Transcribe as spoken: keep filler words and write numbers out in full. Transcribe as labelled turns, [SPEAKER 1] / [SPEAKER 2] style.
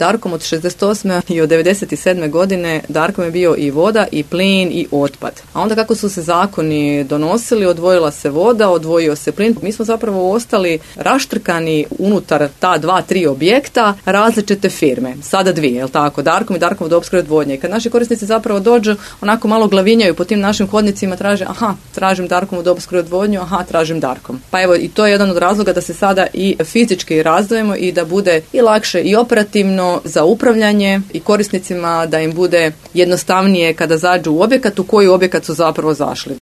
[SPEAKER 1] Darkom od šezdeset osme i od devedeset sedme godine Darkom je bio i voda i plin i otpad. A onda kako su se zakoni donosili, odvojila se voda, odvojio se plin. Mi smo zapravo ostali raštrkani unutar ta dva, tri objekta različite firme. Sada dvije, jel tako? Darkom i Darkom vodoopskrbe odvodnje. I kad naši korisnici zapravo dođu, onako malo glavinjaju po tim našim hodnicima, traže, aha, tražim Darkom vodoopskrbe odvodnju, aha, tražim Darkom. Pa evo, i to je jedan od razloga da se sada i fizički razdvojimo i da bude i lakše i operativno za upravljanje i korisnicima, da im bude jednostavnije kada zađu u objekat, u koji objekat su zapravo zašli.